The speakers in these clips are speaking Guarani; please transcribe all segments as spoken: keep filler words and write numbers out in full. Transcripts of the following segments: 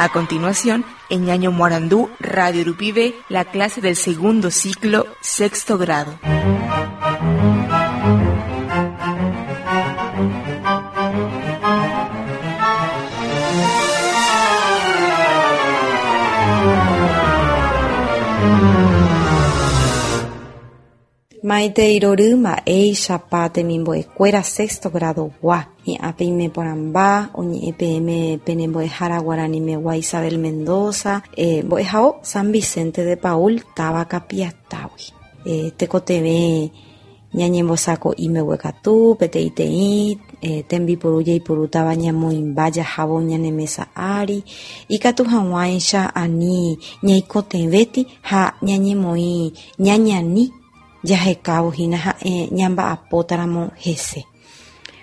A continuación, en Ñaño Morandú, Radio Rupibe, la clase del segundo ciclo, sexto grado. Maite irorýma eichapa temimbo'ekuéra sexto grado-gua hi'ãpe imeporãmba oñe'ẽ peẽme penembo'ehára guaranimegua Isabel Mendoza eh, mbo'ehao San Vicente de Paul táva Kapiatágui eh, tekotevẽ ñañembosako'i mbeguekatu peteĩteĩ eh, tembiporu jaipurútava ñamoĩmba jahávo ñane mesa ári ikatu hag̃uáicha ani ñaikotevẽti ha ñañemoĩ ñañani jahekávo hína ha'e ñamba'apótaramo hese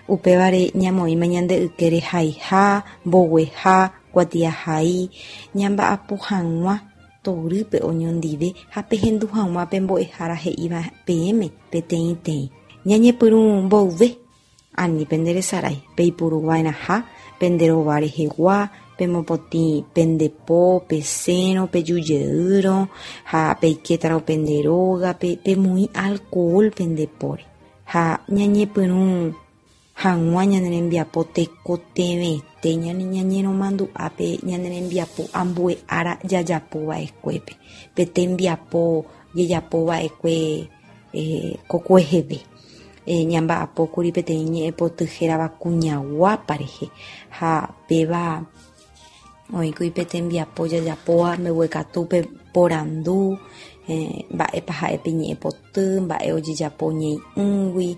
upévare ñamoĩma ñande ykére haiha mbogueha kuatiahai ñamba'apo hag̃ua torýpe oñondive ha pehendu hag̃ua pe mbo'ehára he'íva peẽme peteĩteĩ ñañepyrũ mboyve ani penderesarái peipuruva'erãha penderova rehegua pemopotĩ pendepo pesẽrõ pejujeýrõ ha peikétarõ pende rógape pemoĩ alcohol pendepóre ha ñañepyrũ hag̃ua ñane rembiapo tekotevẽte ñane ñañeromandu'ápe ñane rembiapo ambue ára jajapova'ekuépe pe tembiapo jajapova'ekue eh, kokueheve eh, ñamba'apókuri peteĩ ñe'ẽpoty hérava kuñaguápa rehe ha péva oĩkuri pe tembiapo jajapóva mbeguekatúpe porandu eh, mba'épa ha'e pe ñe'ẽpoty mba'e ojejapo ñei'ũgui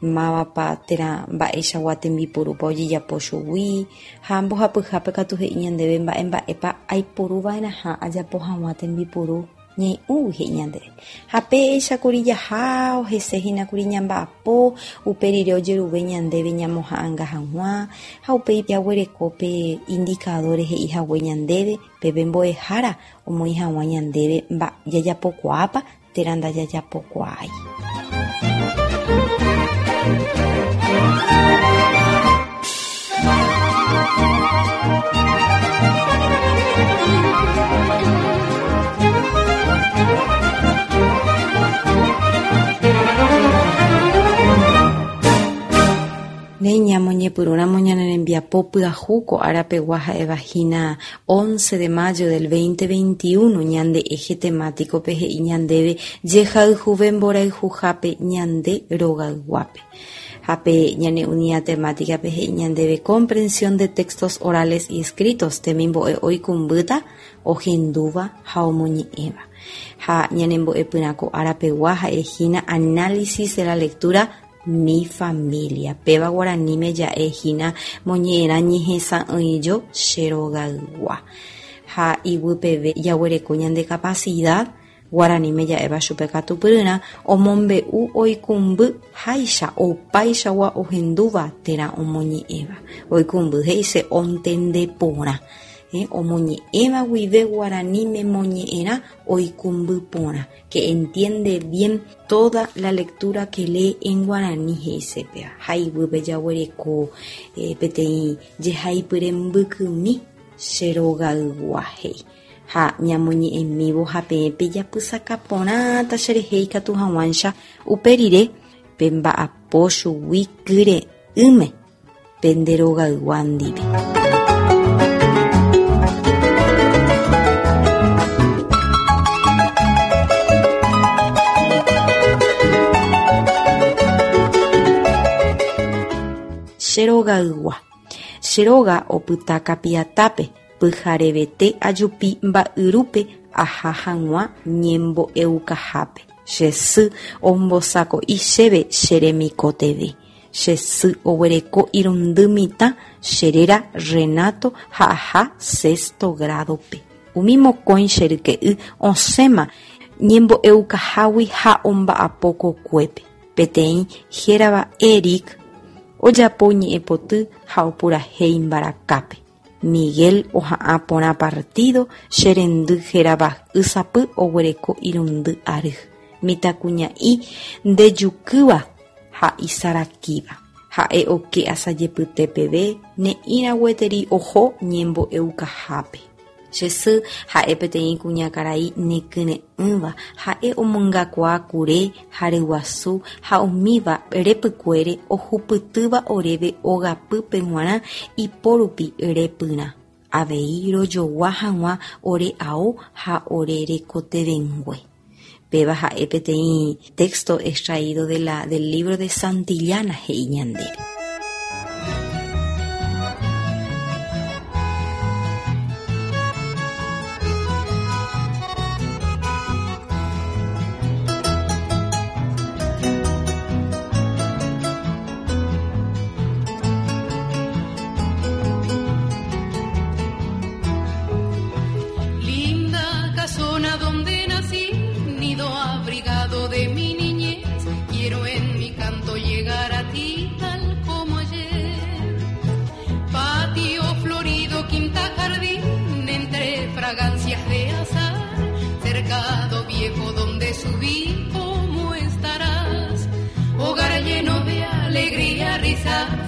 mávapa térã mba'eichagua tembiporúpa ojejapo chugui ha mbohapyhápe katu he'i ñandéve mba'e mba'épa aiporuva'erãha ajapo hag̃ua tembiporu ñei'ũgui he'i ñandéve ha péichakuri jaha ohesehínakuri ñamba'apo upe rire ojeruve ñandéve ñamoha'ãnga hag̃ua ha upéi jaguereko pe indicadores he'i hague ñandéve peve mbo'ehára omoĩ hag̃ua ñandéve jajapokuaápa térã ndajajapokuaái. Néi ñamoñepyrũramo ñane rembiapo pyahu ko árapegua ha'éva hína once de mayo del veinte veintiuno ñande eje temático-pe he'i ñandéve jehayhuve mborayhuhápe ñande rogayguápe ha pe ñane unidad temática-pe he'i ñandéve comprensión de textos orales y escritos temimbo'e oikũmbýta ohendúva ha omoñe'ẽva ha ñanembo'epyrã ko árapegua ha'ehína análisis de la lectura mi familia péva guaraníme ja'ehína moñe'ẽrã ñehesa'ỹijo che rogaygua ha iguypeve jaguereko ñande capacidad guaraníme ja'éva chupe katupyryrã omombe'u oikũmby háicha opaichagua ohendúva térã omoñe'ẽva oikũmby he'ise ontende porã eh, omoñe'ẽva guive guaraníme moñe'ẽrã oikũmby porã que entiende bien toda la lectura que lee en guaraní he'ise péva ha iguýpe jaguereko eh, peteĩ jehaipyre mbykymi che rogaygua he'i ha ñamoñe'ẽmívo ha peẽ pejapysaka porãta cherehe ikatu hag̃uáicha upe rire pemba'apo chugui kyre'ỹme pende rogaygua ndive. Che rogaygua. Che róga opyta Kapiatápe pyharevete ajupi mba'yrúpe aha hag̃ua ñembo'eukahápe. Che sy ombosako'i chéve che remikotevẽ. Che sy oguereko irundy mitã che réra Renato ha aha sexto grado-pe. Umi mokõi che ryke'y osẽma ñembo'eukahágui ha omba'apo kokuépe. Peteĩ hérava Eric ojapo ñe'ẽpoty ha opurahéi mbarakápe. Miguel oha'ã porã partido che rendy hérava Ysapy oguereko irundy ary. Mitãkuña'i ndejukýva ha isarakíva. Ha'e oke asajepyte peve ne'ĩra gueteri oho ñembo'eukahápe. Che sy ha'e peteĩ kuñakarai nekyre'ỹva ha'e omongakuaa kure ha ryguasu ha umíva repykuére ohupytýva oréve ogapýpe g̃uarã iporupi repyrã. Avei rojogua hag̃ua ore ao ha ore rekotevẽngue. Péva ha'e peteĩ texto extraído de la, del libro de Santillana he'i ñandéve.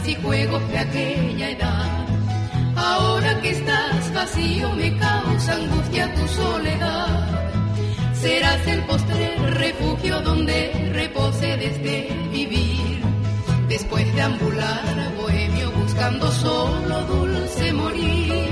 Y juegos de aquella edad. Ahora que estás vacío me causa angustia tu soledad. Serás el postrer refugio donde repose desde vivir. Después de ambular bohemio buscando solo dulce morir.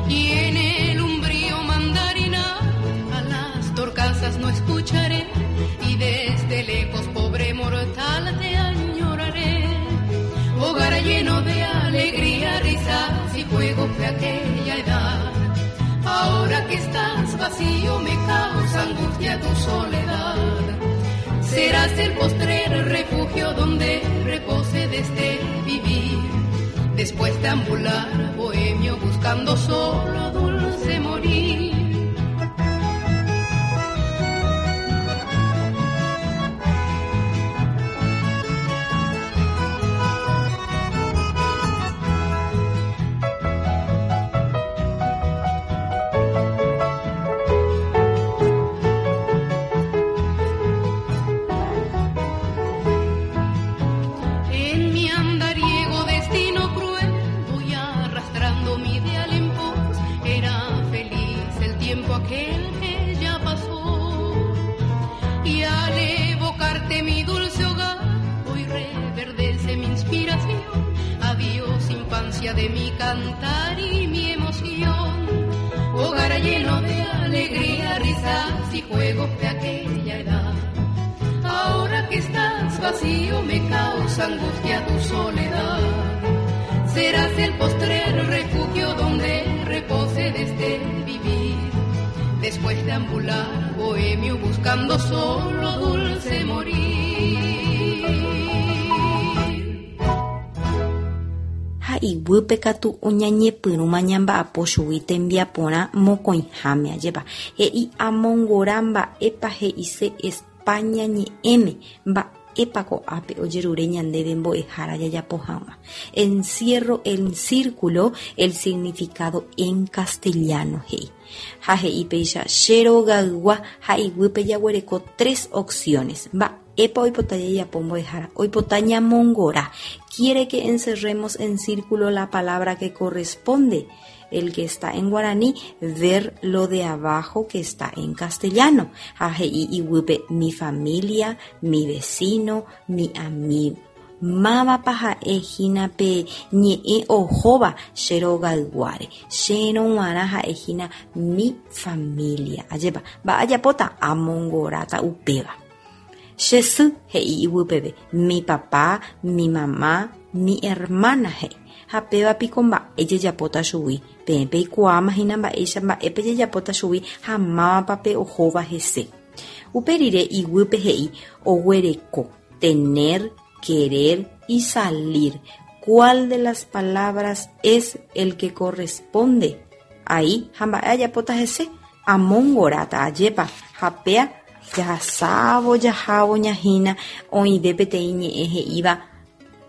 Y en el umbrío mandarina a las torcasas no escucharé, y desde lejos, pobre mortal, te añoraré. Hogar lleno de alegría, risas y juegos de aquella edad. Ahora que estás vacío me causa angustia tu soledad. Serás el postrer refugio donde repose desde vivir. Después de ambular bohemio buscando solo dulce morir. De mi cantar y mi emoción, hogar lleno de alegría, risas y juegos de aquella edad. Ahora que estás vacío me causa angustia tu soledad. Serás el postrer refugio donde repose desde vivir. Después de ambular bohemio buscando solo dulce morir. Iguýpe katu oñañepyrũma ñamba'apo chugui tembiaporã mokõiháme ajépa. He'i amongora mba'épa he'ise España ñe'ẽme mba'épa ko'ápe ojerure ñandéve mbo'ehára jajapo hag̃ua. Encierro el círculo el significado en castellano he'i. Ha he'i péicha che rogaygua ha iguýpe jaguereko tres opciones. Mba'épa oipota jajapo mbo'ehára, oipota ñamongora. Quiere que encerremos en círculo la palabra que corresponde, el que está en guaraní, ver lo de abajo que está en castellano. Ha he'i iguýpe mi familia, mi vecino, mi amigo. Mávapa ha'e hína pe ñe'ẽ ohóva che rogayguáre. Chérõ g̃uarã ha'e hína mi familia. Ajépa, mba'ajapóta amongoráta upéva. Che sy he'i iguýpeve mi papá, mi mamá, mi hermana he'i. Ha péva piko mba'e jejapóta chugui. Peẽ peikuaáma hína mba'éicha mba'épe jejapóta chugui ha mávapa pe ohóva hese. Upe rire iguýpe he'i oguereko, tener, querer y salir. ¿Cuál de las palabras es el que corresponde? Ahí, ha mba'e ajapóta hese, amongoráta ajépa, ha péa jahasávo jahávo ñahína oĩve peteĩ ñe'ẽ he'íva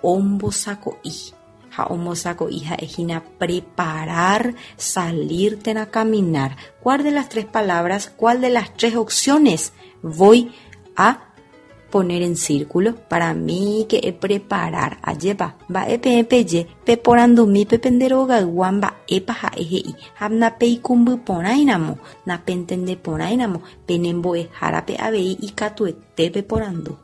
ombosako'i. Ha ombosako'i ha'ehína preparar, salir térã caminar. ¿Cuál de las tres palabras, cuál de las tres opciones voy a poner en círculo? Para mí que preparar, ajépa, mba'e peẽ peje, peporandumi pe pende rogaygua mba'épa ha'e he'i ha napeikũmbyporãiramo, napentendeporãiramo, penembo'ehárape avei ikatuete peporandu.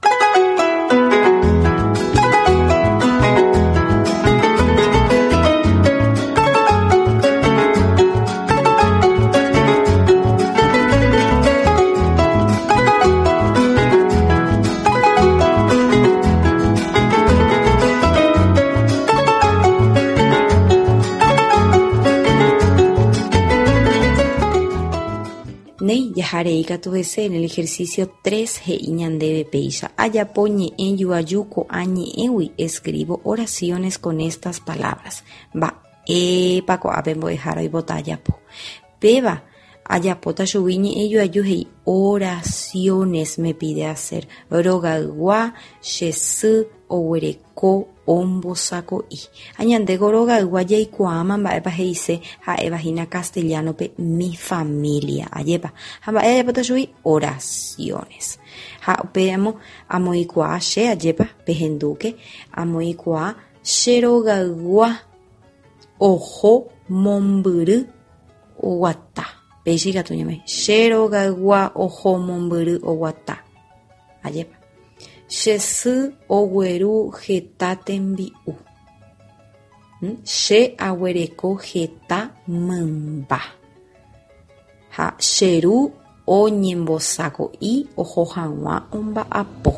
Néi jaharei katu hese en el ejercicio tres he'i ñandéve péicha ajapo ñe'ẽ joaju ko'ã ñe'ẽgui escribo oraciones con estas palabras. Mba'épa ko'ápe mbo'ehára oipota ajapo. Péva ajapóta chugui ñe'ẽ joaju he'i oraciones me pide hacer. Rogaygua che sy oguereko ombosako'i. Ha ñandéko rogaygua jaikuaáma mba'épa he'ise ha'éva hína castellano-pe mi familia. Ajépa. Ha mba'e ajapóta chugui oraciones. Ha upéamo amoĩkuaa che ajépa pehendúke amoĩkuaa che rogaygua oho mombyry oguata. Péicha ikatu ñamoĩ che rogaygua oho mombyry oguata. Ajépa. Che sy ogueru heta tembi'u. Che aguereko heta mymba. Ha che ru oñembosako'i oho hag̃ua omba'apo.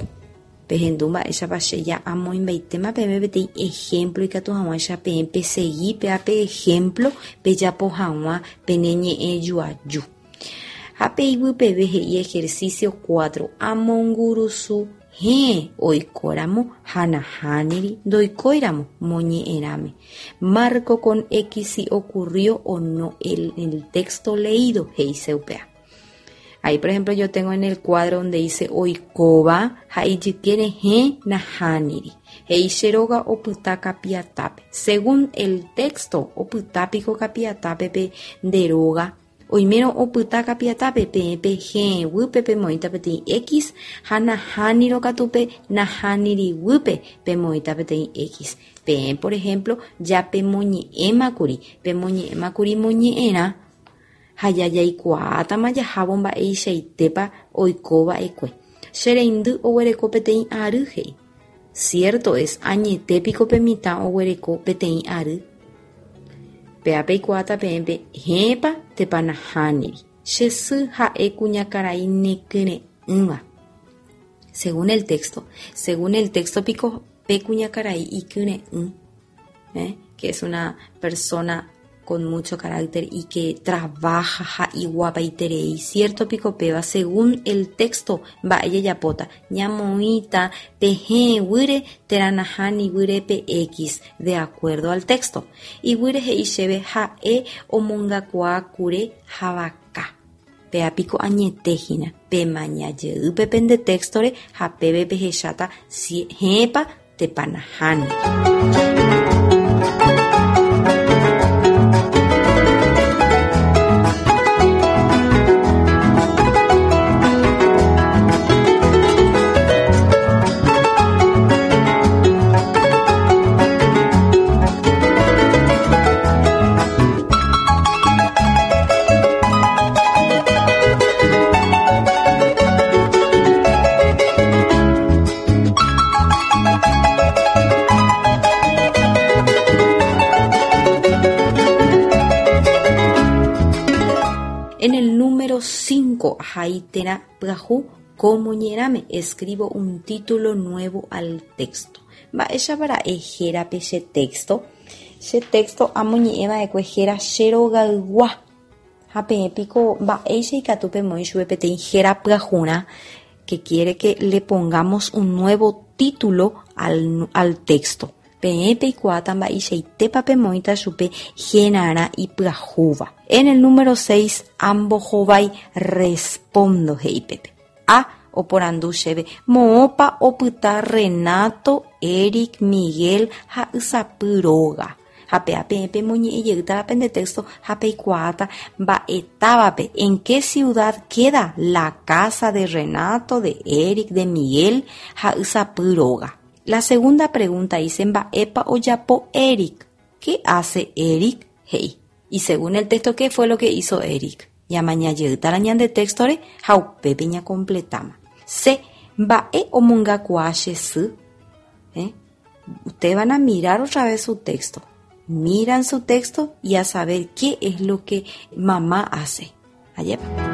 Pehendu mba'éichapa che ja amoĩmbaitéma peẽme peteĩ ejemplo ikatu hag̃uáicha peẽ pesegi péape ejemplo pejapo hag̃ua pene ñe'ẽ joaju. Ha peiguypeve he'i ejercicio cuatro amongurusu héẽ oikóramo ha nahániri ndoikóiramo moñe'ẽrãme. Marco con X si ocurrió o no el, el texto leído he'ise upéva. Ahí, por ejemplo, yo tengo en el cuadro donde dice oikóva ha ijykére héẽ nahániri. He'i che róga opyta Kapiatápe. Según el texto, opytápiko Kapiatápe pe nde róga. Oimérõ opyta Kapiatápe peẽ pe héẽ guýpe pemoĩta peteĩ X ha nahánirõ katu pe nahániri guýpe pemoĩta peteĩ X. Peẽ, por ejemplo, ja pemoñe'ẽmakuri, pemoñe'ẽmakuri moñe'ẽrã ha jajaikuaátama jahávo mba'eichaitépa oikova'ekue. Che reindy oguereko peteĩ ary he'i. Cierto es, añetépiko pe mitã oguereko peteĩ ary. Péa peikuaáta peẽme héẽpa térã nahániri. Che sy ha'e kuñakarai nekyre'ỹva. Según el texto, según el texto piko pe kuñakarai ikyre'ỹ, ¿eh? Que es una persona con mucho carácter y que trabaja ha iguapaiterei. Cierto piko péva, según el texto, mba'e jajapóta ñamoĩta pe héẽ guýre térã nahániri guýre pe X, de acuerdo al texto. Iguýre he'i chéve ha'e omongakuaákure havaka. Péa piko añetehína pemañajey pende textore ha péve pehecháta si héẽpa térã nahániri. En el número cinco, ahai térã pyahu ko moñe'ẽrãme, escribo un título nuevo al texto. Mba'éichapa ra'e hérape che texto? Che texto amoñe'ẽva'ekue héra che rogaygua. Ha peẽ piko mba'éicha ikatu pemoĩ chupe peteĩ héra pyahurã que quiere que le pongamos un nuevo título al, al texto. Peẽ peikuaáta mba'eichaitépa pemoĩta chupe henarã ipyahúva. En el número seis ambohovái respondo he'ípepe. A oporandu chéve moõpa opyta Renato, Eric, Miguel ha Ysapy róga. Ha péa peẽ pemoñe'ẽjeýta pende texto ha peikuaáta mba'etávape en qué ciudad queda la casa de Renato, de Eric, de Miguel ha Ysapy róga. La segunda pregunta dice mba'épa ojapo Eric. ¿Qué hace Eric? He'i. Y según el texto, ¿qué fue lo que hizo Eric? Ñamañajeýta la ñande textore ha upépe ñacompletama. C. Mba'e omongakuaa che sy. ¿Eh? Ustedes van a mirar otra vez su texto. Miran su texto y a saber qué es lo que mamá hace. Allá va.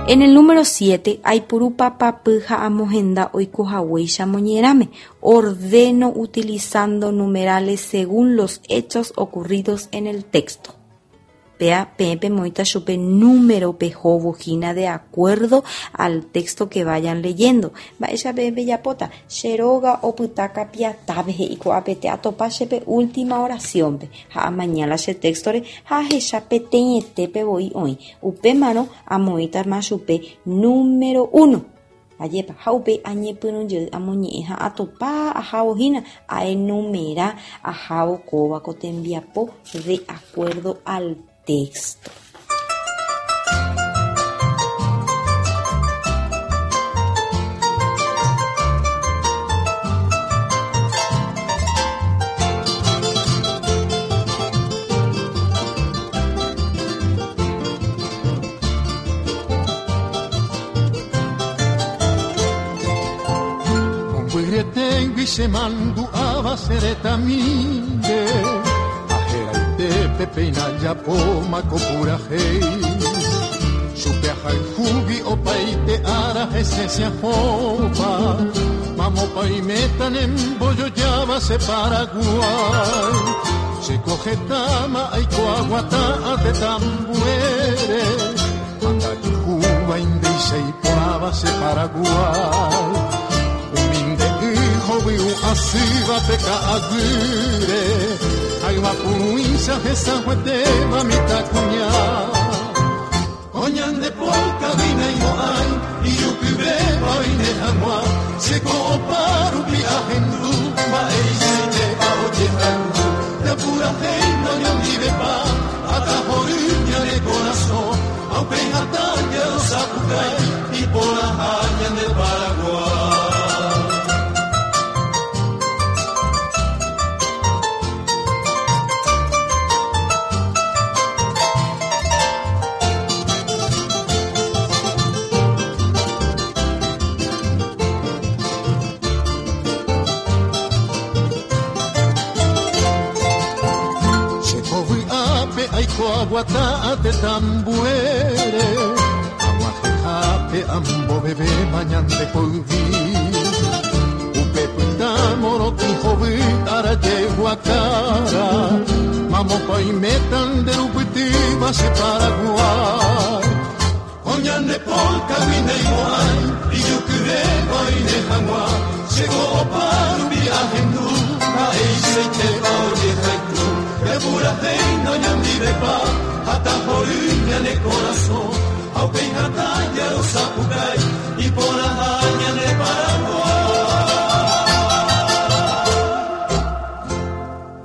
En el número siete, aipuru papapy ha amohenda oikohaguéicha moñe'ẽrãme. Ordeno utilizando numerales según los hechos ocurridos en el texto. Péa peẽ pemoĩta chupe número pehóvo hína de acuerdo al texto que vayan leyendo. Mba'éicha peẽ pejapóta che róga opyta kapiatápe he'i ko'ápete atopa chépe última oraciónpe ha amañála che textore ha ahecha peteĩetépe voi oĩ. Upémarõ amoĩtama chupe número uno. Ajépa ha upe añepyrũjey amoñe'ẽ ha atopa ahávo hína aenumera ahávo kóva ko tembiapo de acuerdo al texto. Se mandu'ava seretamínde Ajeraite peina yapoma kopurajei Chupeahayhúgui opaite ára hesesia hóva Mamopa nembojojáva che Paraguay Chekohetama aikoaguata atetambuére Andayhúva indeichaiporãva che Paraguay Hoviu asýva pe ka'aguýre Hayvapurũicha hesajuetéva mitãkuña Oñandepóka vinaimo'ãi ijupyvéva oine hag̃ua Cheko'opa rupi ahendu mba'eichaitépa ojehayhu Japurahéi noñondivepa atahory ñane korasõ Ha upéi hatã jarosapukái iporãha ñande Paraguay. Aguata te tambuere Aguajejape ambo bebé mañante poivi Upe puta moroti jovi ara yeguacara Mamo paimetan de rupiti base Paraguay Oñande polka vine igual y yo que oine jagua Llegó oparupi ajendu Aeiseite oye jaiku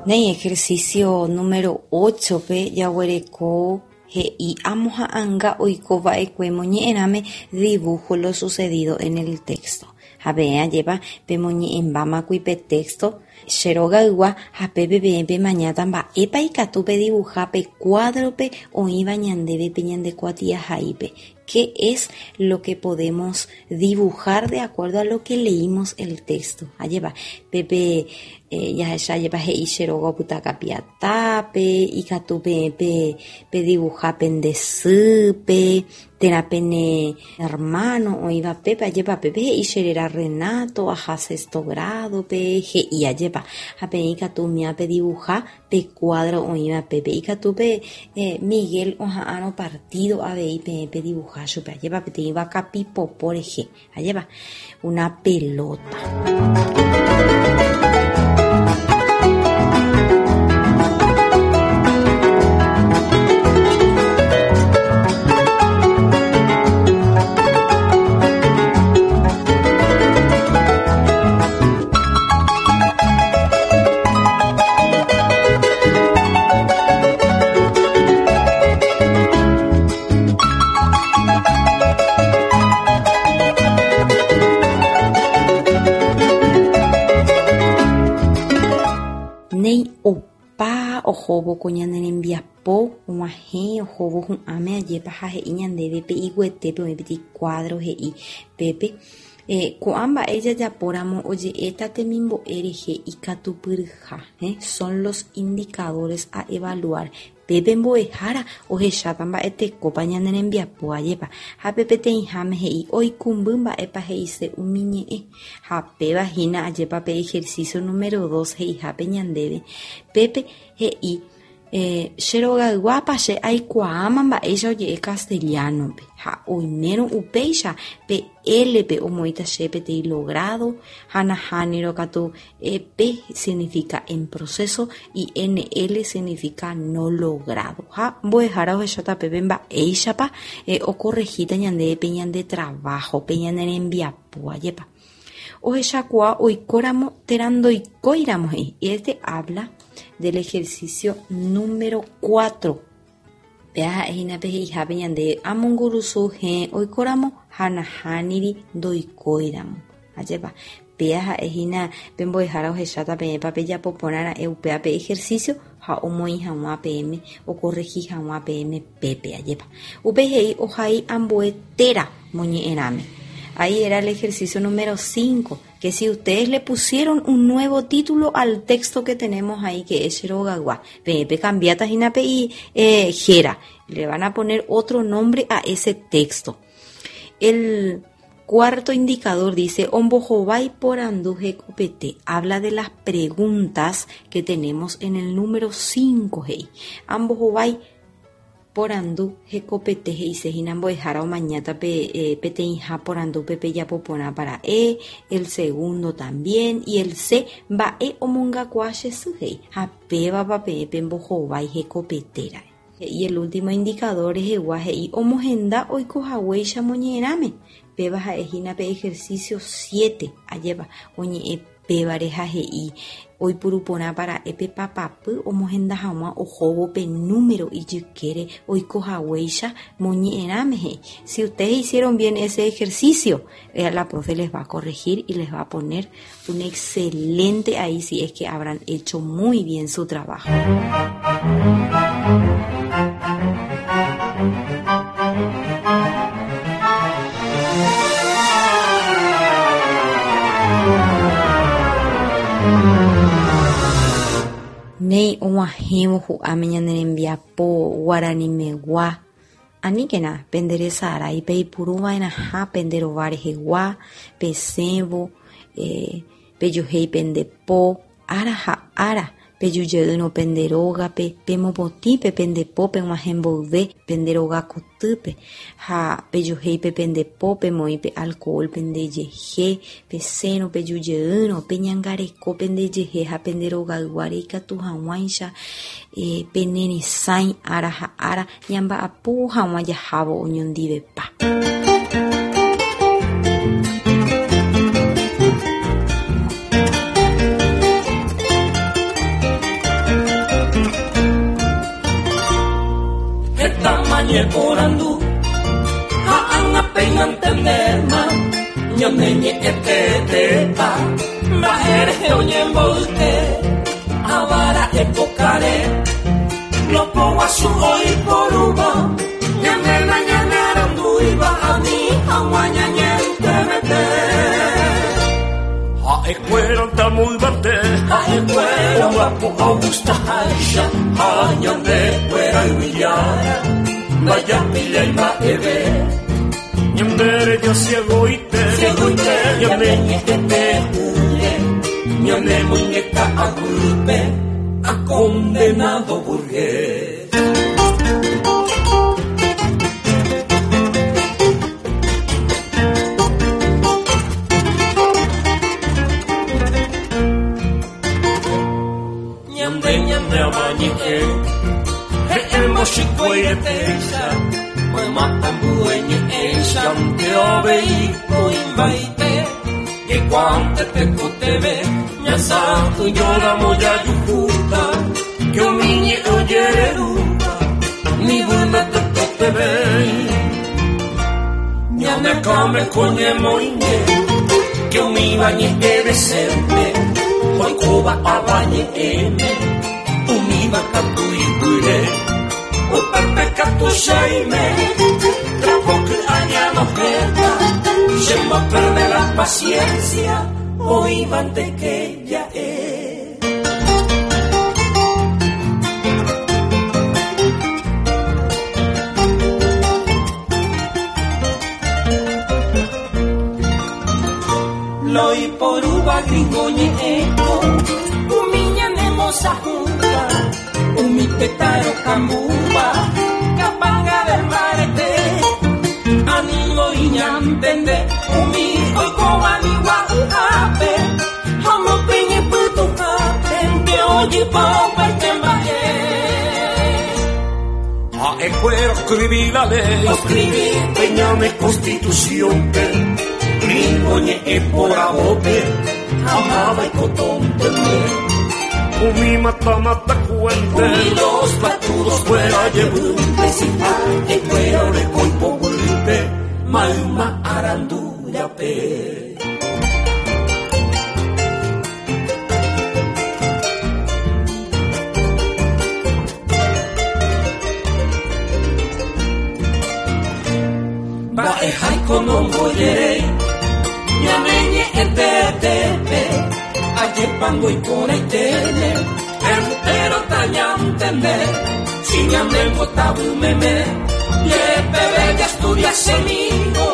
Nei ejercicio número ocho pe jaguereko he'i amoha'ãnga oikova'ekue moñe'ẽrãme dibujo lo sucedido en el texto. Ha peẽ ajépa pemoñe'ẽmbámakui pe texto che rogaygua ha pépe peẽ pemañáta mba'épa ikatu pedibuja pe cuadrope oĩva ñandéve pe ñande kuatiahaípe. ¿Qué es lo que podemos dibujar de acuerdo a lo que leímos el texto? Ajépa, pépe eh, jahecha ajépa he'i che róga opyta Kapiatápe, ikatu pe pe pedibuja pende sýpe, térã pene hermano oĩva pépe, ajépa pépe he'i che réra Renato, aha sexto grado-pe, he'i ajépa. Ha peẽ ikatu umíva pedibuja pe cuadro oĩva pépe. Ikatu pe eh, Miguel oha'ãrõ partido avei peẽ pedibuja chupe, ajépa peteĩ vakapipopo rehe, ajépa una pelota. Néi opa ohóvo ko ñane rembiapo og̃uahẽ ohóvo hu'ãme ajépa ha he'i ñandéve pe iguyetépe oĩ peteĩ cuadro he'i pépe eh, ko'ã mba'e jajapóramo oje'éta temimbo'e rehe ikatupyryha, eh, son los indicadores a evaluar. Pépe mbo'ehára ohecháta mba'etekópa ñane rembiapo ajépa ha pe peteĩháme he'i oikũmby mba'épa he'ise umi ñe'ẽ ha péva hína ajépa pe ejercicio número dos he'ihápe ñandéve pépe he'i eh, che rogayguápa che aikuaáma mba'éicha oje'e castellano-pe ha oimérõ upéicha pe L-pe omoĩta che peteĩ logrado ha nahánirõ katu eh, P significa en proceso y N L significa no logrado. Ha mbo'ehára ohecháta pépe mba'éichapa eh, okorregíta ñandéve pe ñande trabajo, pe ñane rembiapo ajépa. Ohechakuaa oikóramo térã ndoikóiramo he'i. Y este habla del ejercicio número cuatro. Péa ha'ehína pe he'ihápe ñande amongurusu hẽ oikóramo ha nahániri ndoikóiramo. Ajépa, péa ha'ehína pe mbo'ehára ohecháta peẽpa pejapo porãra'e upéva pe ejercicio ha omoĩ hag̃ua peẽme okorregi hag̃ua peẽme pépe ajépa. Upe he'i ohai ambue téra moñe'ẽrãme. Ahí era el ejercicio número cinco, que si ustedes le pusieron un nuevo título al texto que tenemos ahí, que es Cherogagua, pepe cambiata hína pe y eh, jera, le van a poner otro nombre a ese texto. El cuarto indicador dice, Ombohovái porandu hekopete, habla de las preguntas que tenemos en el número cinco, hey. Ambohovái porandu hekopete he'isehína mbo'ehára omañáta pe eh, peteĩha porandu pe pejapo porã para E, el segundo también, y el C, mba'e omongakuaa che sy he'i ha pévapa peẽ pembohovái hekopetéra'e. Y el último indicador rehegua he'i omohenda oikohaguéicha moñe'ẽrãme. Péva ha'ehína pe ejercicio siete, ajépa oñe'ẽ pévare ha he'i oipuru porã para'e pe papapy omohenda hag̃ua ohóvo pe número ijykére oikohaguéicha moñe'ẽrãme he'i. Si ustedes hicieron bien ese ejercicio, eh, la profe les va a corregir y les va a poner un excelente ahí si es que habrán hecho muy bien su trabajo. Néi og̃uahẽvo hu'ãme ñane rembiapo guaranimegua. Aníkena penderesarái peipuruva'erãha pende rova rehegua, pesẽvo, eh, pejohéi pende po, ára ha ára pejujeýrõ pende rógape, pemopotĩ pe pende po peg̃uahẽ mboyve pende rogakotýpe ha pejohéi pe pende po pemoĩ pe alcohol pendejehe, pesẽrõ pejujeýrõ peñangareko pendejehe ha pende rogayguáre ikatu hag̃uáicha eh, peneresãi ára ha ára ñamba'apo hag̃ua jahávo oñondivepa. Porandu ha ág̃a péina entendéma ñane ñe'ẽtetépa mba'érehe oñemboyke avara'e pokare lopoguasu oiporúva ñane nañanearandúiva Aguañañente Ha escuela muy bate, ha escuela guapo Augusta Haisha, ha ñande fuera y villara, vaya pila y maeve. Ñandere ya ciego y te, ciego y te, ñande ñete huye, ñande muñeca agulpe, a condenado burgués. La paciencia, hoy van de que ya es. Loi por uva gringoñe eco, umiña nemosa junta, umi petaro cambuba, capanga del marete, animo iñantende, umi A escuela escribí la ley, escribí peñame constitución, gringo ñe por abote, amaba y cotón Umi mata mata cuente, umi los patudos fuera llevunte, si pa escuela ore coipo bulpe, malma arandura pe. Kono moyere, ñameñe etetepe, ayepango y coraitene, entero tañantende, si ñamengo tabumeme, yepe bella estudia semigo,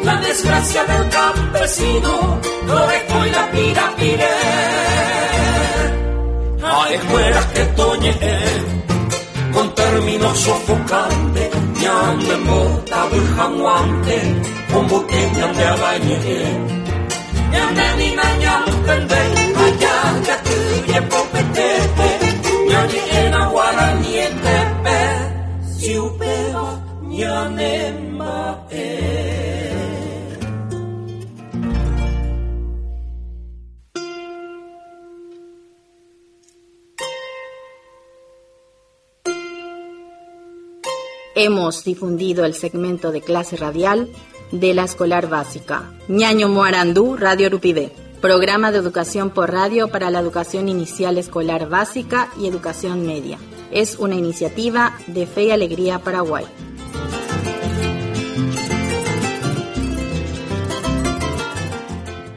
la desgracia del campesino, lo y la pira pire. A escuela que toñe, con términos sofocantes, ñande mota bujanguante, como que ñande abañe, ñande ni ñantende, allá ya tuye popetete, ñañe en aguaraniete, si upeba ñane mae. Hemos difundido el segmento de clase radial de la escolar básica. Ñaño Moarandú, Radio Rupivé. Programa de educación por radio para la educación inicial escolar básica y educación media. Es una iniciativa de Fe y Alegría Paraguay.